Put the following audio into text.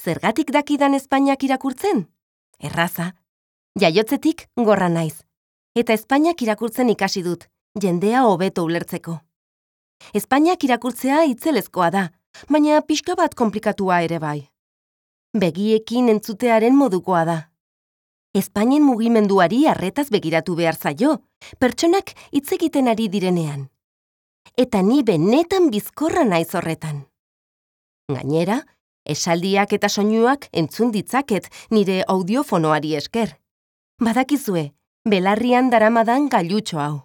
Zergatik dakidan Espainiak irakurtzen? Erraza. Jaiotzetik gorra naiz. Eta Espainiak irakurtzen ikasi dut, jendea hobeto ulertzeko. Espainiak irakurtzea itzelezkoa da, baina pixka bat konplikatua ere bai. Begiekin entzutearen modukoa da. Espainien mugimenduari arretaz begiratu behar zaio, pertsonak hitz egiten ari direnean. Eta ni benetan bizkorra naiz horretan. Gainera, esaldiak eta soinuak entzun ditzaket nire audiofonoari esker. Badakizue, belarrian daramadan gailutxo hau.